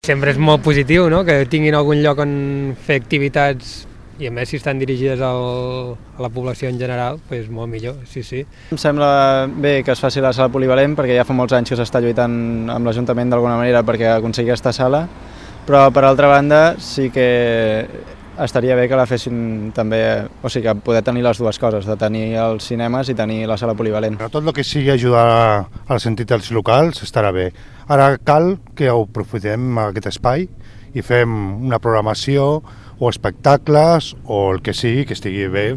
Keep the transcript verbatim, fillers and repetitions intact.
Sempre és molt positiu, no?, que tinguin algun lloc on fer activitats i a més si estan dirigides al, a la població en general, doncs molt millor, sí, sí. Em sembla bé que es faci la sala polivalent perquè ja fa molts anys que s'està lluitant amb l'Ajuntament d'alguna manera perquè aconseguir aquesta sala, però per altra banda sí que estaria bé que la fessin també, o sigui, que poder tenir les dues coses, de tenir els cinemes i tenir la sala polivalent. Però tot el que sigui ajudar a les entitats locals estarà bé. Ara cal que ho aprofitem aquest espai i fem una programació o espectacles o el que sigui que estigui bé